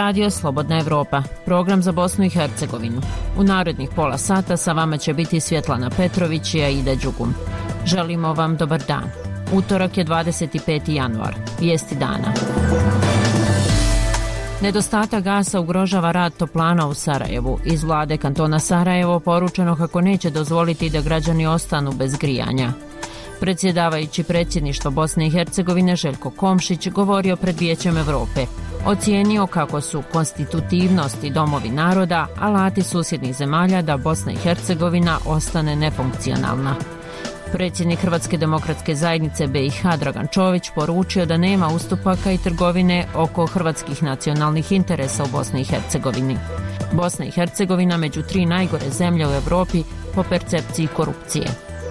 Radio Slobodna Evropa, program za Bosnu i Hercegovinu. U narednih pola sata sa vama će biti Svjetlana Petrović i Aida Đugum. Želimo vam dobar dan. Utorak je 25. januar. Vijesti dana. Nedostatak gasa ugrožava rad toplana u Sarajevu. Iz vlade kantona Sarajevo poručeno kako neće dozvoliti da građani ostanu bez grijanja. Predsjedavajući predsjedništvo Bosne i Hercegovine Željko Komšić govorio pred Vijećem Europe. Ocijenio kako su konstitutivnost i domovi naroda alati susjednih zemalja da Bosna i Hercegovina ostane nefunkcionalna. Predsjednik Hrvatske demokratske zajednice BiH Dragan Čović poručio da nema ustupaka i trgovine oko hrvatskih nacionalnih interesa u Bosni i Hercegovini. Bosna i Hercegovina među 3 najgore zemlje u Europi po percepciji korupcije.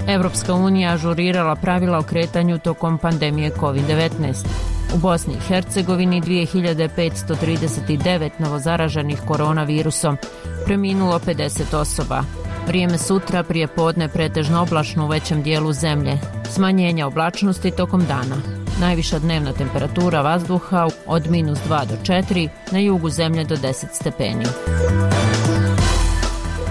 Evropska unija ažurirala pravila o kretanju tokom pandemije COVID-19. U Bosni i Hercegovini 2539 novozaraženih koronavirusom, preminulo 50 osoba. Vrijeme sutra prije podne pretežno oblačno u većem dijelu zemlje. Smanjenje oblačnosti tokom dana. Najviša dnevna temperatura vazduha od -2 do 4, na jugu zemlje do 10 stepeni.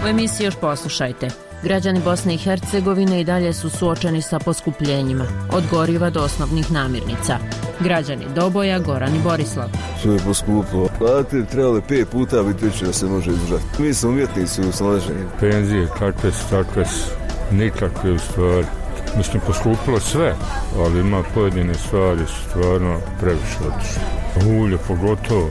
U emisiji još poslušajte. Građani Bosne i Hercegovine i dalje su suočeni sa poskupljenjima, od goriva do osnovnih namirnica. Građani Doboja, Goran i Borislav. Što je poskupilo? Plate trebali 5 puta biti veće da se može izdržati. Mi smo umjetnici u snalaženju. Penzije, kakve su, nikakve u stvari. Mislim, poskupilo sve, ali ima pojedine stvari stvarno previše otišle. Ulje pogotovo.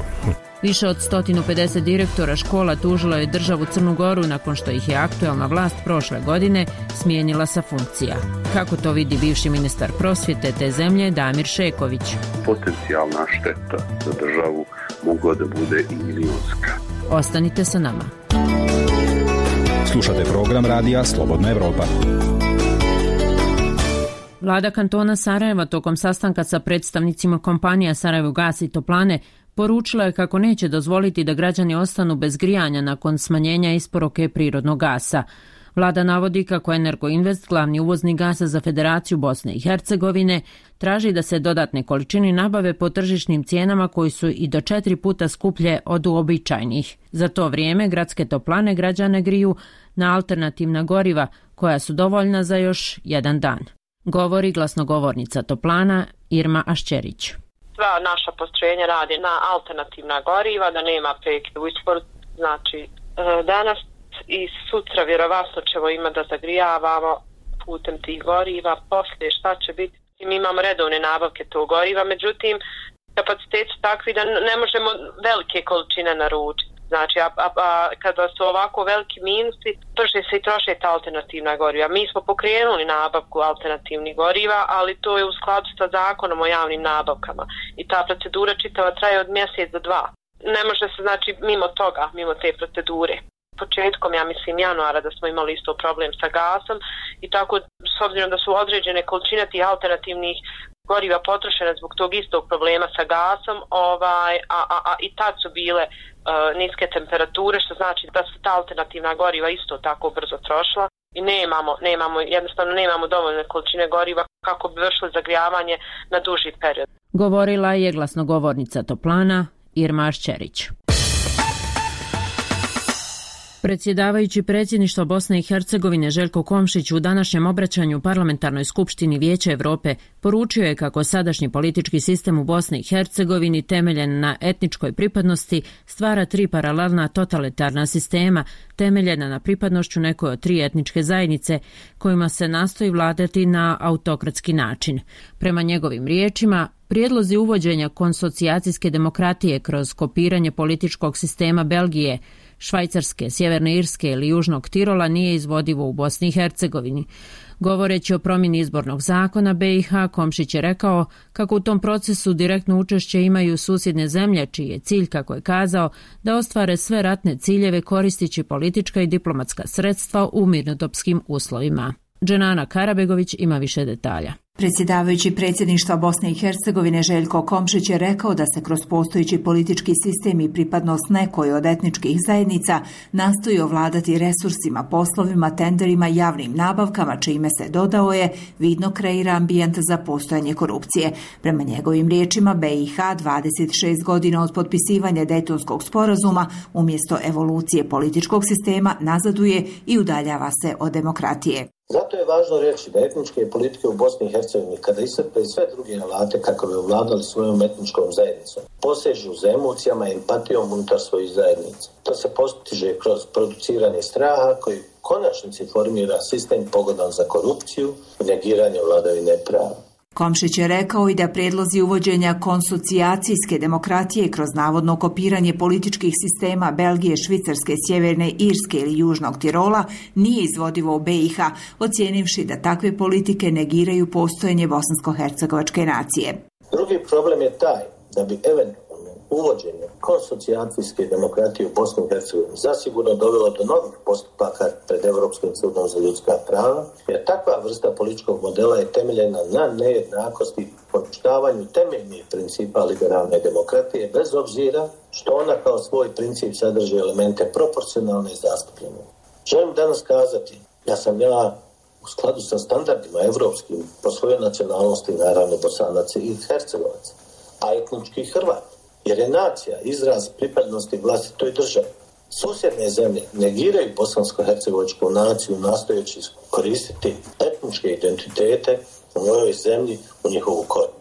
Više od 150 direktora škola tužilo je državu Crnu Goru nakon što ih je aktuelna vlast prošle godine smijenila sa funkcija. Kako to vidi bivši ministar prosvjete te zemlje Damir Šeković? Potencijalna šteta za državu mogla da bude i milionska. Ostanite sa nama. Slušate program Radija Slobodna Evropa. Vlada kantona Sarajeva tokom sastanka sa predstavnicima kompanija Sarajevogas i Toplane poručila je kako neće dozvoliti da građani ostanu bez grijanja nakon smanjenja isporuke prirodnog gasa. Vlada navodi kako Energoinvest, glavni uvoznik gasa za Federaciju Bosne i Hercegovine, traži da se dodatne količine nabave po tržišnim cijenama koji su i do 4 puta skuplje od uobičajenih. Za to vrijeme gradske toplane građane griju na alternativna goriva koja su dovoljna za još jedan dan. Govori glasnogovornica toplana Irma Ašćerić. Sva naša postrojenja radi na alternativna goriva, da nema prekida u isporuci. Znači, danas i sutra vjerovatno ćemo imati da zagrijavamo putem tih goriva. Poslije šta će biti? Mi imamo redovne nabavke tog goriva, međutim, kapaciteti su takvi da ne možemo velike količine naručiti. Znači, kada su ovako veliki minusi, brže se i troše ta alternativna goriva. Mi smo pokrenuli nabavku alternativnih goriva, ali to je u skladu sa zakonom o javnim nabavkama. I ta procedura čitava traje od mjesec do 2. Ne može se, znači, mimo toga, mimo te procedure. Početkom, ja mislim, januara da smo imali isto problem sa gasom i tako, s obzirom da su određene količine tih alternativnih goriva potrošene zbog tog istog problema sa gasom, i tad su bile niske temperature, što znači da su ta alternativna goriva isto tako brzo trošila i jednostavno nemamo dovoljne količine goriva kako bi vršili zagrijavanje na duži period. Govorila je glasnogovornica toplana Irma Ašćerić. Predsjedavajući predsjedništvo Bosne i Hercegovine Željko Komšić u današnjem obraćanju Parlamentarnoj skupštini Vijeća Europe poručio je kako sadašnji politički sistem u Bosni i Hercegovini temeljen na etničkoj pripadnosti stvara 3 paralelna totalitarna sistema temeljena na pripadnošću nekoj od 3 etničke zajednice kojima se nastoji vladati na autokratski način. Prema njegovim riječima, prijedlozi uvođenja konsocijacijske demokratije kroz kopiranje političkog sistema Belgije, Švajcarske, Sjeverne Irske ili Južnog Tirola nije izvodivo u Bosni i Hercegovini. Govoreći o promjeni izbornog zakona BiH, Komšić je rekao kako u tom procesu direktno učešće imaju susjedne zemlje, čiji je cilj, kako je kazao, da ostvare sve ratne ciljeve koristeći politička i diplomatska sredstva u mirnodopskim uslovima. Dženana Karabegović ima više detalja. Predsjedavajući predsjedništva Bosne i Hercegovine Željko Komšić je rekao da se kroz postojeći politički sistem i pripadnost nekoj od etničkih zajednica nastoji ovladati resursima, poslovima, tenderima i javnim nabavkama, čime se, dodao je, vidno kreira ambijent za postojanje korupcije. Prema njegovim riječima, BiH 26 godina od potpisivanja Dejtonskog sporazuma umjesto evolucije političkog sistema nazaduje i udaljava se od demokratije. Zato je važno reći da etničke politike u Bosni i Hercegovini, kada iscrpe sve druge alate kako bi ovladali svojom etničkom zajednicom, posežu za emocijama i empatijom unutar svojih zajednica. To se postiže kroz produciranje straha koji u konačnici formira sistem pogodan za korupciju i negiranje vladavine prava. Komšić je rekao i da prijedlozi uvođenja konsocijacijske demokratije kroz navodno kopiranje političkih sistema Belgije, Švicarske, Sjeverne Irske ili Južnog Tirola nije izvodivo u BiH, ocijenivši da takve politike negiraju postojanje bosansko-hercegovačke nacije. Drugi problem je taj da bi eventualno uvođenje konsocijacijske demokratije u Bosni i Hercegovini zasigurno dovelo do novih postupaka pred Europskim sudom za ljudska prava, jer takva vrsta političkog modela je temeljena na nejednakosti i poništavanju temeljnih principa liberalne demokratije, bez obzira što ona kao svoj princip sadrži elemente proporcionalne i zastupljene. Želim danas kazati da sam ja u skladu sa standardima evropskim po svojoj nacionalnosti, naravno Bosanac i Hercegovac, a etnički Hrvat, jer je nacija izraz pripadnosti vlastitoj državi. Susjedne zemlje negiraju bosansko-hercegovačku naciju nastojeći koristiti etničke identitete u ovoj zemlji u njihovu korist.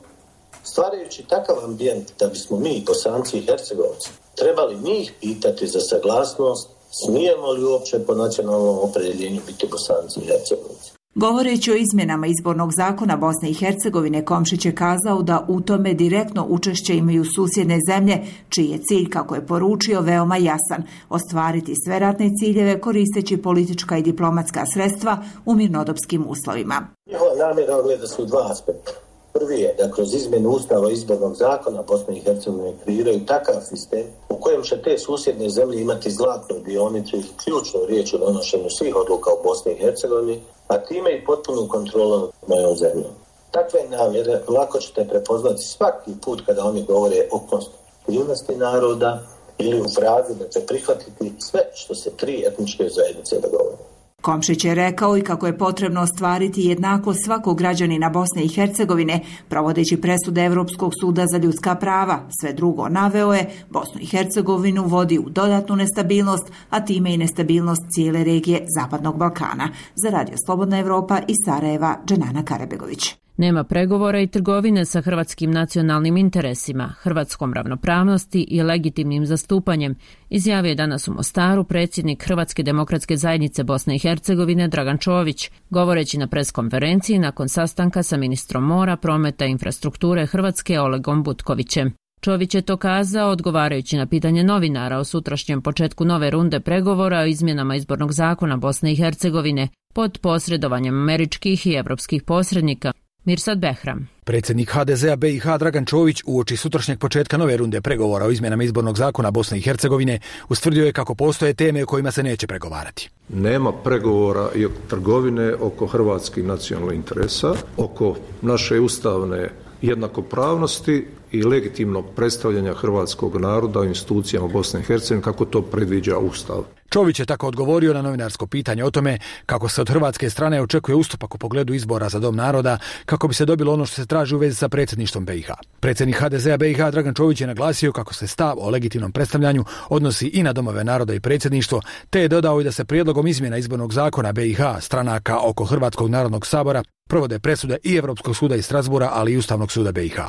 Stvarajući takav ambijent da bismo mi, Bosanci i Hercegovci, trebali njih pitati za saglasnost, smijemo li uopće po nacionalnom opredjeljenju biti Bosanci i Hercegovci. Govoreći o izmjenama izbornog zakona Bosne i Hercegovine, Komšić je kazao da u tome direktno učešće imaju susjedne zemlje, čiji je cilj, kako je poručio, veoma jasan: ostvariti sve ratne ciljeve koristeći politička i diplomatska sredstva u mirnodopskim uslovima. Njihova namjera ogleda se u dva aspekta. Prvi je da kroz izmjenu Ustava izbornog zakona Bosne i Hercegovine kreiraju takav sistem u kojem će te susjedne zemlje imati zlatnu dionicu i ključnu riječ u donošenju svih odluka u Bosni i Hercegovini, a time i potpunu kontrolu nad mojom zemljom. Takve namjere lako ćete prepoznati svaki put kada oni govore o konstitutivnosti naroda ili u frazi da će prihvatiti sve što se tri etničke zajednice dogovore. Komšić je rekao i kako je potrebno ostvariti jednakost svakog građanina Bosne i Hercegovine, provodeći presude Europskog suda za ljudska prava. Sve drugo, naveo je, Bosnu i Hercegovinu vodi u dodatnu nestabilnost, a time i nestabilnost cijele regije Zapadnog Balkana. Za Radio Slobodna Evropa iz Sarajeva, Dženana Karabegović. Nema pregovora i trgovine sa hrvatskim nacionalnim interesima, hrvatskom ravnopravnosti i legitimnim zastupanjem, izjavio je danas u Mostaru predsjednik Hrvatske demokratske zajednice Bosne i Hercegovine Dragan Čović, govoreći na preskonferenciji nakon sastanka sa ministrom mora, prometa i infrastrukture Hrvatske Olegom Butkovićem. Čović je to kazao odgovarajući na pitanje novinara o sutrašnjem početku nove runde pregovora o izmjenama izbornog zakona Bosne i Hercegovine pod posredovanjem američkih i evropskih posrednika. Mirsad Behram. Predsjednik HDZ-a BiH Dragan Čović uoči sutrašnjeg početka nove runde pregovora o izmjenama izbornog zakona Bosne i Hercegovine ustvrdio je kako postoje teme o kojima se neće pregovarati. Nema pregovora i trgovine oko hrvatskih nacionalnih interesa, oko naše ustavne jednakopravnosti i legitimnog predstavljanja hrvatskog naroda u institucijama Bosne i Hercegovine kako to predviđa Ustav. Čović je tako odgovorio na novinarsko pitanje o tome kako se od hrvatske strane očekuje ustupak u pogledu izbora za Dom naroda kako bi se dobilo ono što se traži u vezi sa predsjedništvom BiH. Predsjednik HDZ-a BiH Dragan Čović je naglasio kako se stav o legitimnom predstavljanju odnosi i na domove naroda i predsjedništvo, te je dodao i da se prijedlogom izmjena izbornog zakona BiH stranaka oko Hrvatskog narodnog sabora provode presude i Europskog suda iz Strasbura, ali i Ustavnog suda BiH.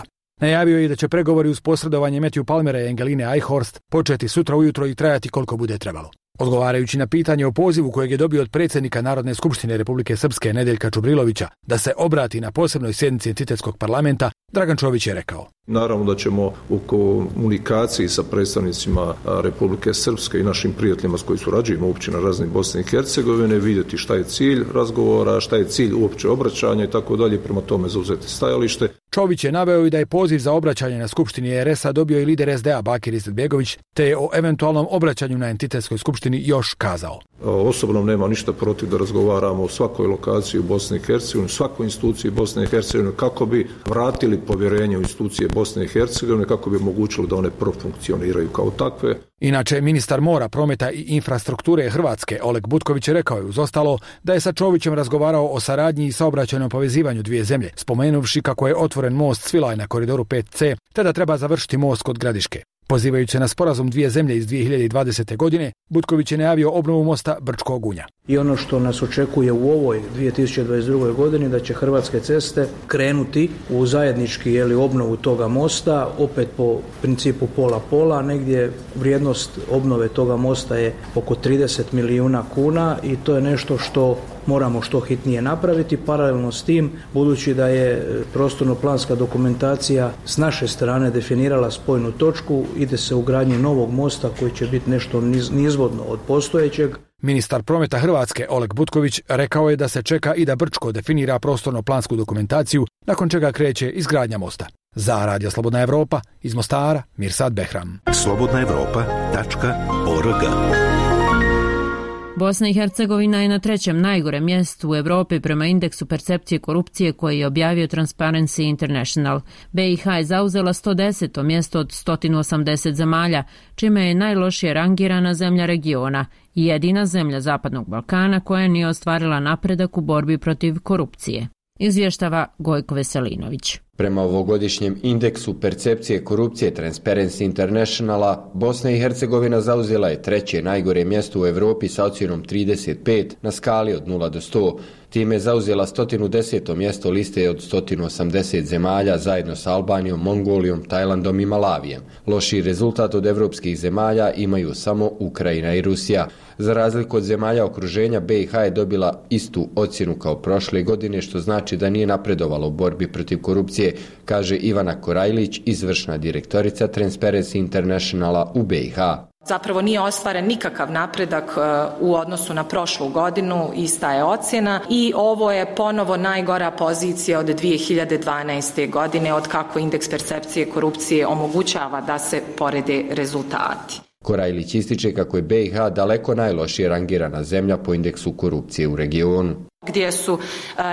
Najavio je i da će pregovori uz posredovanje Matthew Palmera i Angeline Eichhorst početi sutra ujutro i trajati koliko bude trebalo. Odgovarajući na pitanje o pozivu kojeg je dobio od predsjednika Narodne skupštine Republike Srpske Nedeljka Čubrilovića da se obrati na posebnoj sjednici entitetskog parlamenta, Dragan Čović je rekao: Naravno da ćemo u komunikaciji sa predstavnicima Republike Srpske i našim prijateljima s koji surađujemo uopće na razini Bosne i Hercegovine vidjeti šta je cilj razgovora, šta je cilj uopće obraćanja i tako dalje, prema tome zauzeti stajalište. Čović je naveo i da je poziv za obraćanje na skupštini RS-a dobio i lider SDA Bakir Izetbegović, te je o eventualnom obraćanju na entitetskoj skupštini skupštini još kazao. Osobno nema ništa protiv da razgovaramo o svakoj lokaciji u Bosni i Hercegovini, svakoj instituciji Bosne i Hercegovine, kako bi vratili povjerenje u institucije Bosne i Hercegovine, kako bi omogućili da one profunkcioniraju kao takve. Inače, ministar mora, prometa i infrastrukture Hrvatske Oleg Butković rekao je uz ostalo da je sa Čovićem razgovarao o saradnji i saobraćajnom povezivanju dvije zemlje, spomenuvši kako je otvoren most Svilaj na koridoru 5C, te da treba završiti most kod Gradiške. Pozivajući se na sporazum dvije zemlje iz 2020. godine, Butković je najavio obnovu mosta Brčko-Gunja. I ono što nas očekuje u ovoj 2022. godini da će Hrvatske ceste krenuti u zajednički obnovu toga mosta, opet po principu pola-pola, negdje vrijednost obnove toga mosta je oko 30 milijuna kuna i to je nešto što moramo što hitnije napraviti. Paralelno s tim, budući da je prostorno-planska dokumentacija s naše strane definirala spojnu točku, ide se u gradnji novog mosta koji će biti nešto nizvodno od postojećeg. Ministar prometa Hrvatske Oleg Butković rekao je da se čeka i da Brčko definira prostorno-plansku dokumentaciju, nakon čega kreće izgradnja mosta. Za Radio Slobodna Evropa, iz Mostara, Mirsad Behram. slobodnaevropa.org. Bosna i Hercegovina je na 3. najgorem mjestu u Europi prema indeksu percepcije korupcije koji je objavio Transparency International. BiH je zauzela 110. mjesto od 180 zemalja, čime je najlošije rangirana zemlja regiona i jedina zemlja Zapadnog Balkana koja nije ostvarila napredak u borbi protiv korupcije. Izvještava Gojko Veselinović. Prema ovogodišnjem indeksu percepcije korupcije Transparency Internationala, Bosna i Hercegovina zauzela je 3. najgore mjesto u Europi sa ocjenom 35 na skali od 0 do 100. Time je zauzela 110. mjesto liste od 180 zemalja zajedno sa Albanijom, Mongolijom, Tajlandom i Malavijem. Lošiji rezultat od evropskih zemalja imaju samo Ukrajina i Rusija. Za razliku od zemalja okruženja, BiH je dobila istu ocjenu kao prošle godine, što znači da nije napredovalo u borbi protiv korupcije, kaže Ivana Korajlić, izvršna direktorica Transparency Internationala u BiH. Zapravo nije ostvaren nikakav napredak u odnosu na prošlu godinu, ista je ocjena i ovo je ponovo najgora pozicija od 2012. godine od kako indeks percepcije korupcije omogućava da se porede rezultati. Korajlić ističe kako je BiH daleko najlošije rangirana zemlja po indeksu korupcije u regionu, gdje su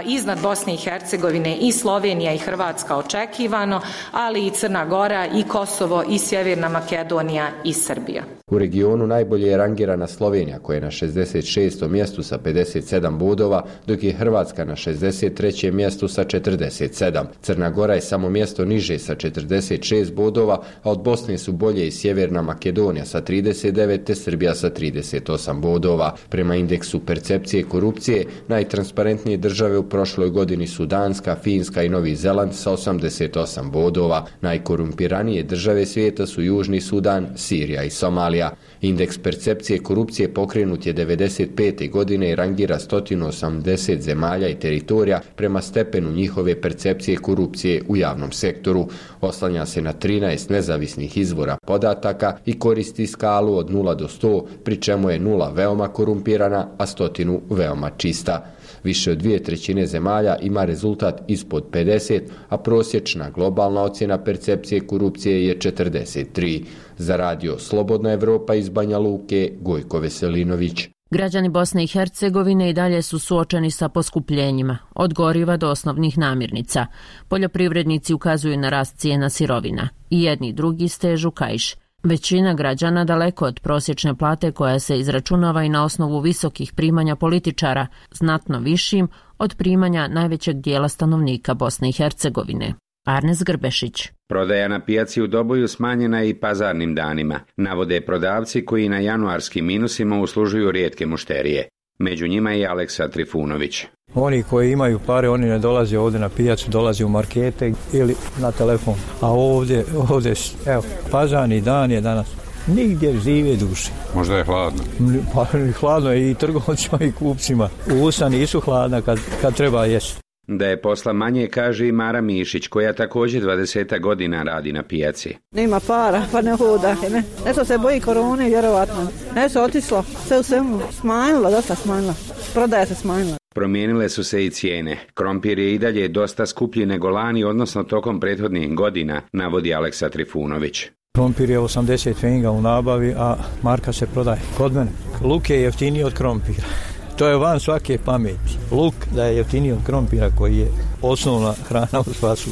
iznad Bosne i Hercegovine i Slovenija i Hrvatska očekivano, ali i Crna Gora i Kosovo i Sjeverna Makedonija i Srbija. U regionu najbolje je rangirana Slovenija koja je na 66. mjestu sa 57 bodova, dok je Hrvatska na 63. mjestu sa 47. Crna Gora je samo mjesto niže sa 46 bodova, a od Bosne su bolje i Sjeverna Makedonija sa 39 te Srbija sa 38 bodova. Prema indeksu percepcije korupcije, najtransparentnije države u prošloj godini su Danska, Finska i Novi Zeland sa 88 bodova. Najkorumpiranije države svijeta su Južni Sudan, Sirija i Somalija. Indeks percepcije korupcije pokrenut je 1995. godine i rangira 180 zemalja i teritorija prema stepenu njihove percepcije korupcije u javnom sektoru. Oslanja se na 13 nezavisnih izvora podataka i koristi skalu od 0 do 100, pri čemu je 0 veoma korumpirana, a 100 veoma čista. Više od 2/3 zemalja ima rezultat ispod 50, a prosječna globalna ocjena percepcije korupcije je 43. Za Radio Slobodna Evropa iz Banja Luke, Gojko Veselinović. Građani Bosne i Hercegovine i dalje su suočeni sa poskupljenjima, od goriva do osnovnih namirnica. Poljoprivrednici ukazuju na rast cijena sirovina. I jedni i drugi stežu kaiš. Većina građana daleko od prosječne plate koja se izračunava i na osnovu visokih primanja političara, znatno višim od primanja najvećeg dijela stanovnika Bosne i Hercegovine. Arnes Grbešić. Prodaja na pijaci u Doboju smanjena je i pazarnim danima, navode prodavci koji na januarskim minusima uslužuju rijetke mušterije. Među njima je i Aleksa Trifunović. Oni koji imaju pare, oni ne dolaze ovdje na pijacu, dolaze u markete ili na telefon. A ovdje, evo, pazarni dan je danas. Nigdje žive duše. Možda je hladno. Pa hladno je i trgovcima i kupcima. Usta nisu hladna kad treba jesti. Da je posla manje, kaže i Mara Mišić, koja također 20 godina radi na pijaci. Nema para, pa ne hoda. Nešto se boji korone, vjerovatno. Nešto otišlo, sve u svemu smanjilo, dosta smanjilo. Prodaja se smanjila. Promijenile su se i cijene. Krompir je i dalje dosta skuplji nego lani, odnosno tokom prethodnih godina, navodi Aleksa Trifunović. Krompir je 80 pfenninga u nabavi, a marka se prodaje kod mene. Luk je jeftiniji od krompira. To je van svake pameti. Luk da je jeftiniji od krompira koji je osnovna hrana u Spasu.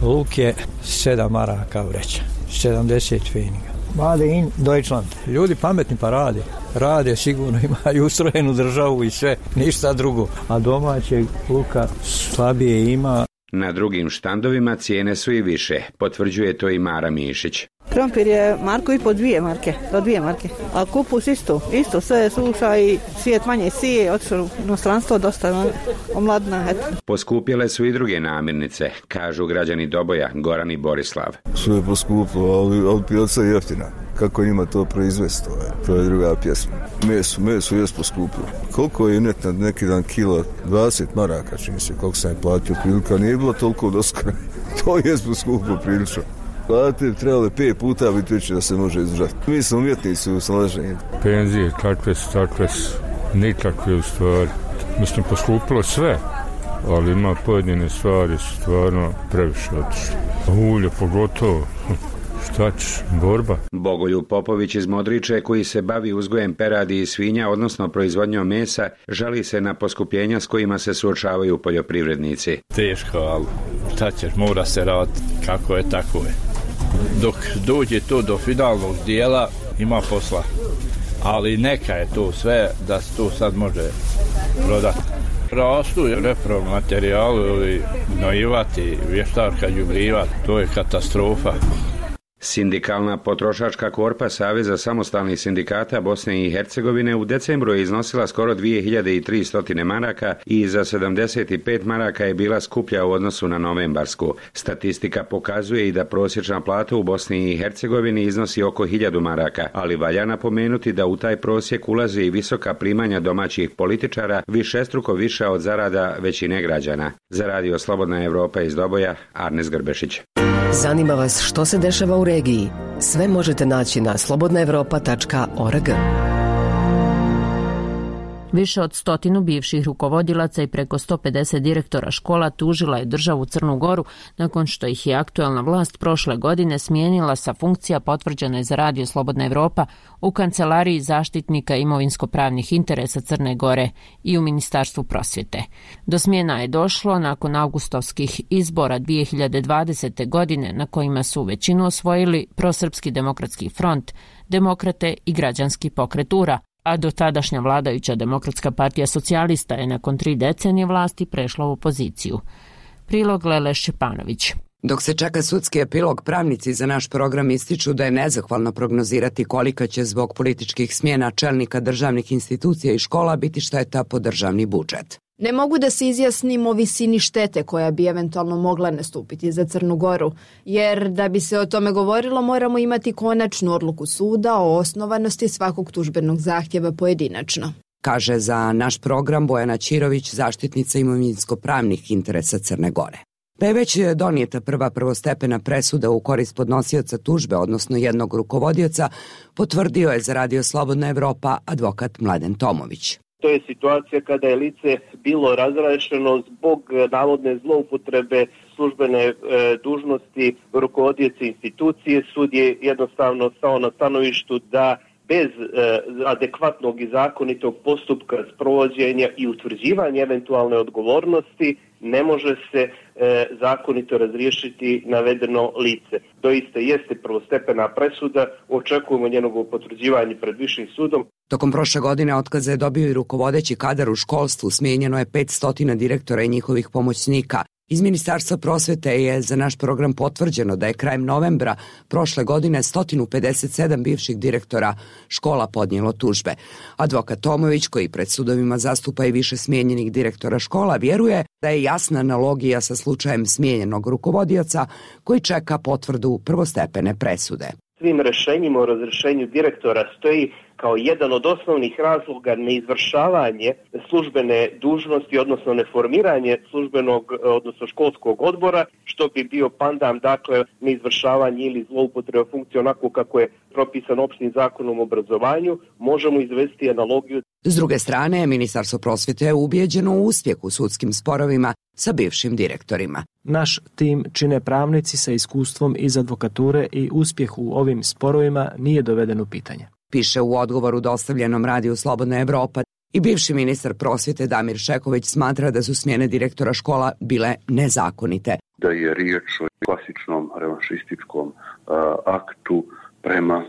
Luk je 7 maraka vreća, 70 pfenninga. Made in Deutschland. Ljudi pametni pa rade. Rade, sigurno imaju ustrojenu državu i sve, ništa drugo. A domaćeg luka slabije ima. Na drugim štandovima cijene su i više, potvrđuje to i Mara Mišić. Krompir je marku i po 2 marke, do 2 marke. A kupus isto sve je suša i svijet manje sije, otišlo u inostranstvo dosta omladna. Poskupjele su i druge namirnice, kažu građani Doboja, Goran i Borislav. Sve je poskupilo, ali pijaca je jeftina. Kako njima to proizvesti, to je druga pjesma. Meso je poskupilo. Koliko je net na neki dan kilo? 20 maraka, čini se, koliko sam je platio prilika. Nije bilo toliko doskora. To je poskupilo prilično. Plate trebali 5 puta biti veće da se može izdržati. Mi smo umjetnici u snalaženju. Penzije takve su, nikakve u stvari. Mislim, poskupilo sve, ali ima pojedine stvari stvarno previše otišle. Ulje pogotovo. Šta ćeš, borba. Bogoljub Popović iz Modriče, koji se bavi uzgojem peradi i svinja, odnosno proizvodnjom mesa, žali se na poskupljenja s kojima se suočavaju poljoprivrednici. Teško, ali šta ćeš, mora se raditi, kako je, tako je. Dok dođe to do finalnog dijela, ima posla. Ali neka je to sve, da se to sad može prodati. Rastu repromaterijalu ili gnojivati, vještačka đubriva, to je katastrofa. Sindikalna potrošačka korpa Saveza samostalnih sindikata Bosne i Hercegovine u decembru je iznosila skoro 2300 maraka i za 75 maraka je bila skuplja u odnosu na novembarsku. Statistika pokazuje i da prosječna plata u Bosni i Hercegovini iznosi oko 1000 maraka, ali valja napomenuti da u taj prosjek ulaze i visoka primanja domaćih političara, višestruko više od zarada većine građana. Za Radio Slobodna Evropa iz Doboja, Arnes Grbešić. Zanima vas što se dešava u regiji? Sve možete naći na slobodnaevropa.org. Više od 100 bivših rukovodilaca i preko 150 direktora škola tužila je državu Crnu Goru nakon što ih je aktuelna vlast prošle godine smijenila sa funkcija potvrđene za Radio Slobodna Evropa u Kancelariji zaštitnika imovinsko-pravnih interesa Crne Gore i u Ministarstvu prosvjete. Do smjena je došlo nakon augustovskih izbora 2020. godine na kojima su većinu osvojili Prosrpski demokratski front, Demokrate i Građanski pokret URA, a dotadašnja vladajuća Demokratska partija socijalista je nakon 3 decenije vlasti prešla u opoziciju. Prilog Lele Šćepanović. Dok se čeka sudski epilog, pravnici za naš program ističu da je nezahvalno prognozirati kolika će zbog političkih smjena čelnika državnih institucija i škola biti šteta po državni budžet. Ne mogu da se izjasnim o visini štete koja bi eventualno mogla nastupiti za Crnu Goru, jer da bi se o tome govorilo moramo imati konačnu odluku suda o osnovanosti svakog tužbenog zahtjeva pojedinačno. Kaže za naš program Bojana Ćirović, zaštitnica imovinsko-pravnih interesa Crne Gore. Da je već donijeta prva prvostepena presuda u korist podnosioca tužbe, odnosno jednog rukovodioca, potvrdio je za Radio Slobodna Evropa advokat Mladen Tomović. To je situacija kada je lice bilo razrešeno zbog navodne zloupotrebe službene dužnosti rukovodioca institucije. Sud je jednostavno stao na stanovištu da bez adekvatnog i zakonitog postupka sprovođenja i utvrđivanja eventualne odgovornosti ne može se zakonito razriješiti navedeno lice. Doista jeste prvostepena presuda, očekujemo njenovo potvrđivanje pred višim sudom. Tokom prošle godine otkaze je dobio i rukovodeći kadar u školstvu, smijenjeno je 500 direktora i njihovih pomoćnika. Iz Ministarstva prosvjete je za naš program potvrđeno da je krajem novembra prošle godine 157 bivših direktora škola podnijelo tužbe. Advokat Tomović, koji pred sudovima zastupa i više smijenjenih direktora škola, vjeruje da je jasna analogija sa slučajem smijenjenog rukovodioca koji čeka potvrdu prvostepene presude. Svim rješenjima o razrješenju direktora stoji kao jedan od osnovnih razloga neizvršavanje službene dužnosti, odnosno neformiranje službenog, odnosno školskog odbora, što bi bio pandam, dakle, neizvršavanje ili zloupotreba funkcije onako kako je propisan opštim zakonom o obrazovanju. Možemo izvesti analogiju. S druge strane, Ministarstvo prosvjete je ubijeđeno u uspjeh u sudskim sporovima sa bivšim direktorima. Naš tim čine pravnici sa iskustvom iz advokature i uspjeh u ovim sporovima nije doveden u pitanje. Piše u odgovoru dostavljenom radiju Slobodna Evropa. I bivši ministar prosvjete Damir Šeković smatra da su smjene direktora škola bile nezakonite. Da je riječ o klasičnom revanšističkom aktu prema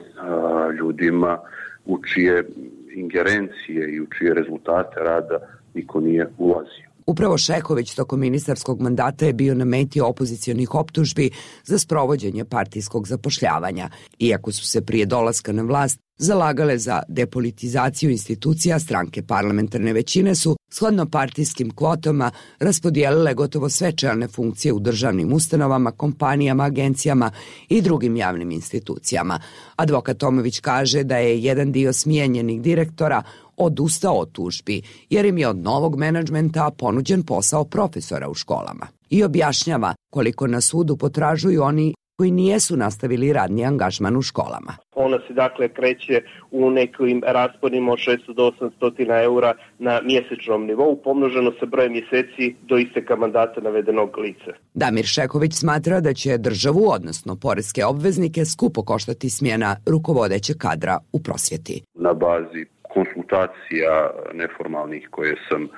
ljudima u čije ingerencije i u čije rezultate rada niko nije ulazio. Upravo Šeković tokom ministarskog mandata je bio na meti opozicionih optužbi za sprovođenje partijskog zapošljavanja. Iako su se prije dolaska na vlast zalagale za depolitizaciju institucija, stranke parlamentarne većine su, shodno partijskim kvotama, raspodijelile gotovo sve čelne funkcije u državnim ustanovama, kompanijama, agencijama i drugim javnim institucijama. Advokat Tomović kaže da je jedan dio smijenjenih direktora odustao od tužbi, jer im je od novog menadžmenta ponuđen posao profesora u školama. I objašnjava koliko na sudu potražuju oni koji nijesu nastavili radni angažman u školama. Ona se dakle kreće u nekim rasponima od 600 do 800 eura na mjesečnom nivou, pomnoženo sa brojem mjeseci do isteka mandata navedenog lica. Damir Šeković smatra da će državu, odnosno poreske obveznike, skupo koštati smjena rukovodećeg kadra u prosvjeti. Na bazi konsultacija neformalnih koje sam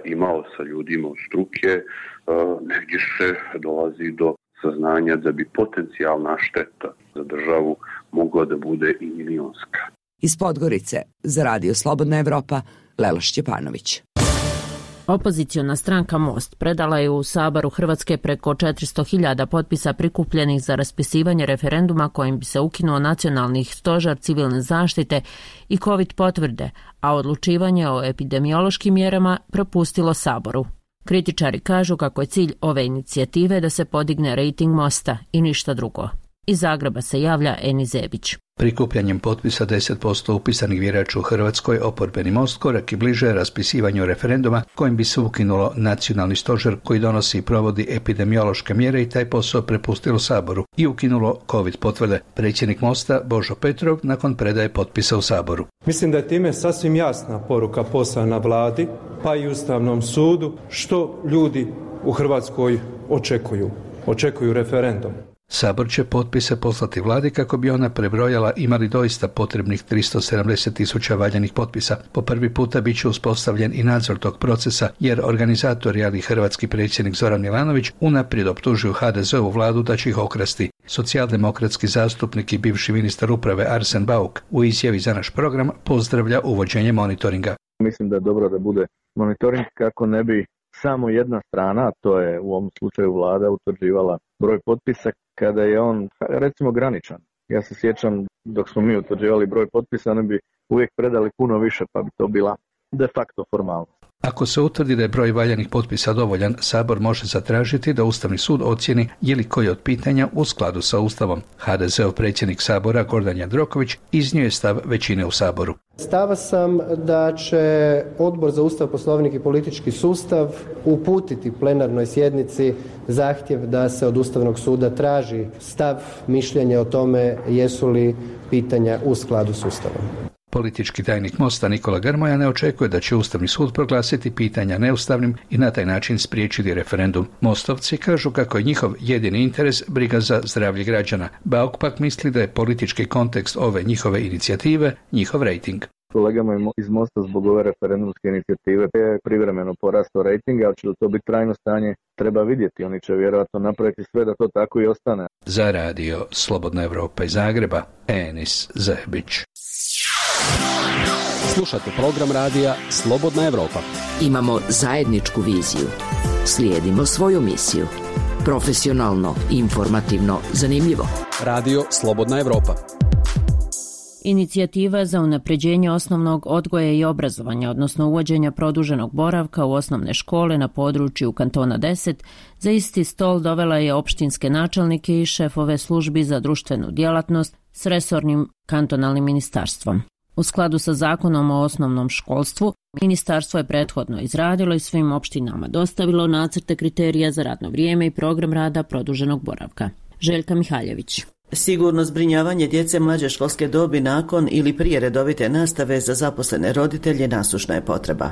imao sa ljudima od struke, negdje se dolazi do saznanja da bi potencijalna šteta za državu mogla da bude i milionska. Iz Podgorice za Radio Slobodna Evropa, Lela Šćepanović. Opoziciona stranka Most predala je u Saboru Hrvatske preko 400.000 potpisa prikupljenih za raspisivanje referenduma kojim bi se ukinuo nacionalni stožer civilne zaštite i COVID potvrde, a odlučivanje o epidemiološkim mjerama propustilo Saboru. Kritičari kažu kako je cilj ove inicijative da se podigne rejting Mosta i ništa drugo. Iz Zagreba se javlja Eni Zebić. Prikupljanjem potpisa 10% upisanih birača u Hrvatskoj oporbeni Most korak i bliže raspisivanju referenduma kojim bi se ukinulo nacionalni stožer koji donosi i provodi epidemiološke mjere i taj posao prepustilo Saboru i ukinulo COVID potvrde. Predsjednik Mosta Božo Petrov nakon predaje potpisa u Saboru. Mislim da je time sasvim jasna poruka poslana vladi pa i Ustavnom sudu što ljudi u Hrvatskoj očekuju. Očekuju referendum. Sabor će potpise poslati vladi kako bi ona prebrojala imali doista potrebnih 370.000 valjanih potpisa. Po prvi puta bit će uspostavljen i nadzor tog procesa jer organizatori, ali hrvatski predsjednik Zoran Milanović unaprijed optužuju HDZ-ovu vladu da će ih okrasti. Socijaldemokratski zastupnik i bivši ministar uprave Arsen Bauk u izjavi za naš program pozdravlja uvođenje monitoringa. Mislim da je dobro da bude monitoring kako ne bi samo jedna strana, to je u ovom slučaju vlada, utvrđivala broj potpisa kada je on, recimo, graničan. Ja se sjećam dok smo mi utvrđivali broj potpisa, oni bi uvijek predali puno više, pa bi to bila de facto formalnost. Ako se utvrdi da je broj valjanih potpisa dovoljan, Sabor može zatražiti da Ustavni sud ocijeni je li koji od pitanja u skladu sa Ustavom. HDZ-ov predsjednik Sabora Gordan Jandroković iznio je stav većine u Saboru. Stava sam da će Odbor za Ustav, Poslovnik i politički sustav uputiti plenarnoj sjednici zahtjev da se od Ustavnog suda traži stav, mišljenje o tome jesu li pitanja u skladu s Ustavom. Politički tajnik Mosta Nikola Grmoja ne očekuje da će Ustavni sud proglasiti pitanja neustavnim i na taj način spriječiti referendum. Mostovci kažu kako je njihov jedini interes briga za zdravlje građana. Bauk pak misli da je politički kontekst ove njihove inicijative njihov rejting. Kolegama iz Mosta zbog ove referendumske inicijative je privremeno porastao rejting, ali će to biti trajno stanje, treba vidjeti. Oni će vjerojatno napraviti sve da to tako i ostane. Za Radio Slobodna Evropa iz Zagreba, Enis Zebić. Slušate program radija Slobodna Evropa. Imamo zajedničku viziju. Slijedimo svoju misiju. Profesionalno, informativno, zanimljivo. Radio Slobodna Evropa. Inicijativa za unapređenje osnovnog odgoja i obrazovanja, odnosno uvođenja produženog boravka u osnovne škole na području kantona 10, za isti stol dovela je opštinske načelnike i šefove službi za društvenu djelatnost s resornim kantonalnim ministarstvom. U skladu sa zakonom o osnovnom školstvu, ministarstvo je prethodno izradilo i svim opštinama dostavilo nacrte kriterija za radno vrijeme i program rada produženog boravka. Željka Mihaljević. Sigurno zbrinjavanje djece mlađe školske dobi nakon ili prije redovite nastave za zaposlene roditelje nasušna je potreba.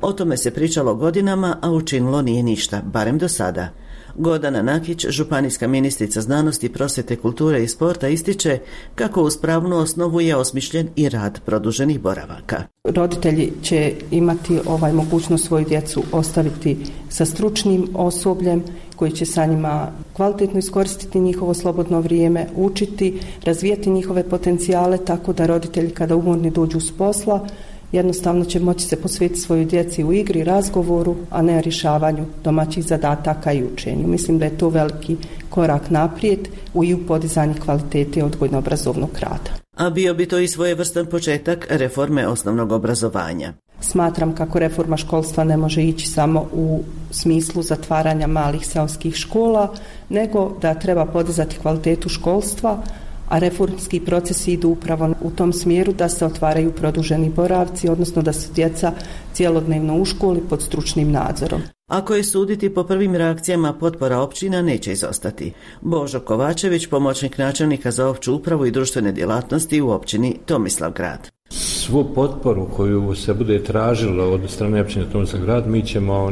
O tome se pričalo godinama, a učinilo nije ništa, barem do sada. Gordana Nakić, županijska ministrica znanosti, prosvjete, kulture i sporta, ističe kako uz pravnu osnovu je osmišljen i rad produženih boravaka. Roditelji će imati mogućnost svoju djecu ostaviti sa stručnim osobljem koji će sa njima kvalitetno iskoristiti njihovo slobodno vrijeme, učiti, razvijati njihove potencijale tako da roditelji kada umorni dođu s posla jednostavno će moći se posvetiti svojoj djeci u igri, razgovoru, a ne rješavanju domaćih zadataka i učenju. Mislim da je to veliki korak naprijed i u podizanju kvalitete odgojno-obrazovnog rada. A bio bi to i svojevrstan početak reforme osnovnog obrazovanja. Smatram kako reforma školstva ne može ići samo u smislu zatvaranja malih seoskih škola, nego da treba podizati kvalitetu školstva, a reformski procesi idu upravo u tom smjeru da se otvaraju produženi boravci, odnosno da su djeca cjelodnevno u školi pod stručnim nadzorom. Ako je suditi po prvim reakcijama, potpora općina neće izostati. Božo Kovačević, pomoćnik načelnika za opću upravu i društvene djelatnosti u općini Tomislavgrad. Svu potporu koju se bude tražilo od strane općine Tomislavgrad, mi ćemo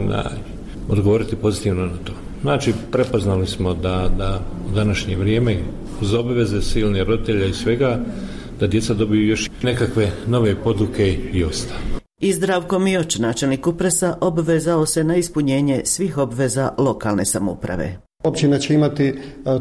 odgovoriti pozitivno na to. Znači, prepoznali smo da u današnje vrijeme uz obaveze silnih roditelja i svega, da djeca dobiju još nekakve nove poduke i ostalo. I Zdravko Mioć, načelnik Kupresa, obvezao se na ispunjenje svih obveza lokalne samouprave. Općina će imati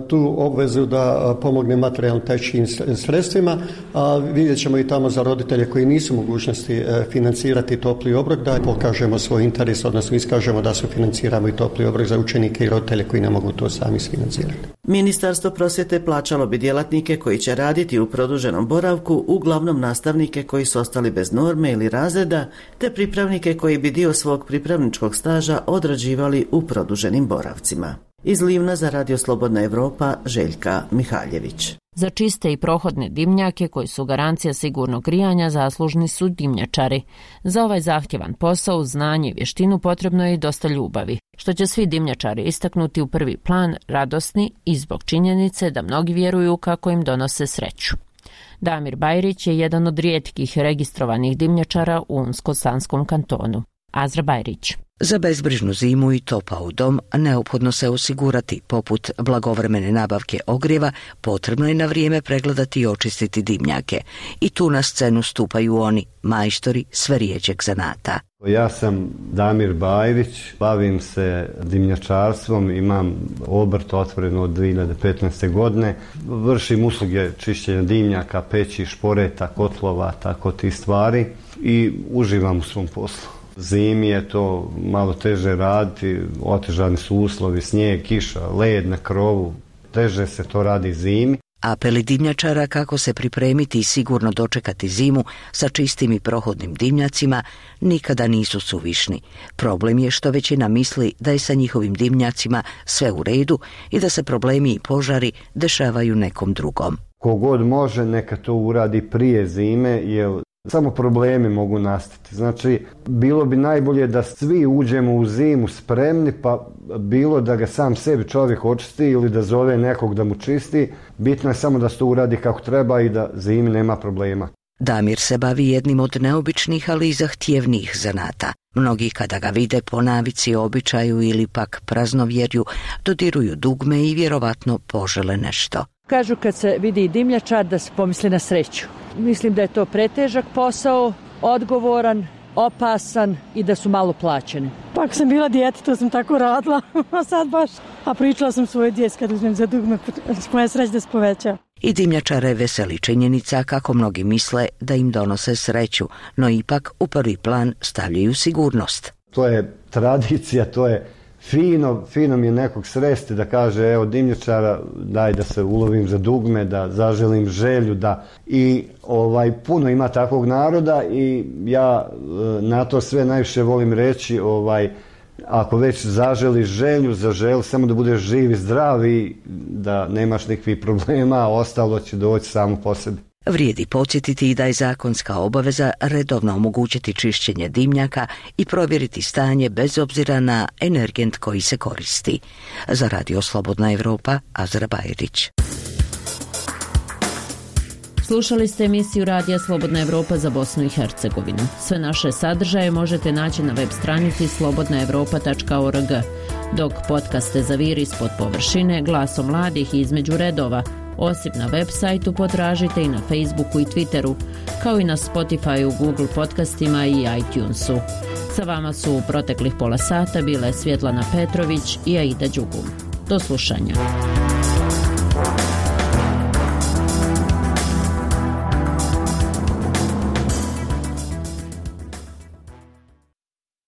tu obvezu da pomogne materijalno-tehničkim sredstvima, a vidjet ćemo i tamo za roditelje koji nisu mogućnosti financirati topli obrok, da pokažemo svoj interes, odnosno iskažemo da sufinanciramo i topli obrok za učenike i roditelje koji ne mogu to sami sfinancirati. Ministarstvo prosvjete plaćalo bi djelatnike koji će raditi u produženom boravku, uglavnom nastavnike koji su ostali bez norme ili razreda, te pripravnike koji bi dio svog pripravničkog staža odrađivali u produženim boravcima. Iz Livna za Radio Slobodna Evropa, Željka Mihaljević. Za čiste i prohodne dimnjake koji su garancija sigurnog grijanja zaslužni su dimnjačari. Za ovaj zahtjevan posao, znanje i vještinu potrebno je i dosta ljubavi, što će svi dimnjačari istaknuti u prvi plan, radosni i zbog činjenice da mnogi vjeruju kako im donose sreću. Damir Bajrić je jedan od rijetkih registrovanih dimnjačara u Unsko-Sanskom kantonu. Azra Bajrić. Za bezbrižnu zimu i topao dom neophodno se osigurati, poput blagovremene nabavke ogrijeva, potrebno je na vrijeme pregledati i očistiti dimnjake. I tu na scenu stupaju oni, majstori sve rijeđeg zanata. Ja sam Damir Bajrić, bavim se dimnjačarstvom, imam obrt otvoren od 2015. godine. Vršim usluge čišćenja dimnjaka, peći, šporeta, kotlova, tako ti stvari i uživam u svom poslu. Zimi je to malo teže raditi, otežani su uslovi, snijeg, kiša, led na krovu, teže se to radi zimi. Apeli dimnjačara kako se pripremiti i sigurno dočekati zimu sa čistim i prohodnim dimnjacima nikada nisu suvišni. Problem je što većina misli da je sa njihovim dimnjacima sve u redu i da se problemi i požari dešavaju nekom drugom. Kogod može neka to uradi prije zime, jer samo problemi mogu nastati. Znači, bilo bi najbolje da svi uđemo u zimu spremni, pa bilo da ga sam sebi čovjek očisti ili da zove nekog da mu čisti. Bitno je samo da se to uradi kako treba i da zimi nema problema. Damir se bavi jednim od neobičnih, ali i zahtjevnijih zanata. Mnogi kada ga vide po navici, običaju ili pak praznovjerju, dodiruju dugme i vjerovatno požele nešto. Kažu kad se vidi dimnjačar da se pomisli na sreću. Mislim da je to pretežak posao, odgovoran, opasan i da su malo plaćeni. Pa ako sam bila dijete, to sam tako radila, a sad baš. A pričala sam svoje djeci kad uzmem za dugme, moja sreća da se poveća. I dimnjačare veseli činjenica kako mnogi misle da im donose sreću, no ipak u prvi plan stavljaju sigurnost. To je tradicija, to je fino mi je nekog sresti da kaže evo dimnjačara daj da se ulovim za dugme, da zaželim želju, da i puno ima takvog naroda i ja na to sve najviše volim reći ako već zaželiš želju, zaželi samo da budeš živ i zdrav i da nemaš nikakvih problema, a ostalo će doći samo po sebi. Vrijedi podsjetiti i da je zakonska obaveza redovno omogućiti čišćenje dimnjaka i provjeriti stanje bez obzira na energent koji se koristi. Za Radio Slobodna Evropa, Azra Bajrić. Slušali ste emisiju Radija Slobodna Evropa za Bosnu i Hercegovinu. Sve naše sadržaje možete naći na web stranici slobodnaevropa.org, dok podcaste Zaviri ispod površine, Glasom mladih i Između redova, osim na web sajtu, potražite i na Facebooku i Twitteru, kao i na Spotifyu, Google podcastima i iTunesu. Sa vama su u proteklih pola sata bile Svjetlana Petrović i Aida Đugum. Do slušanja.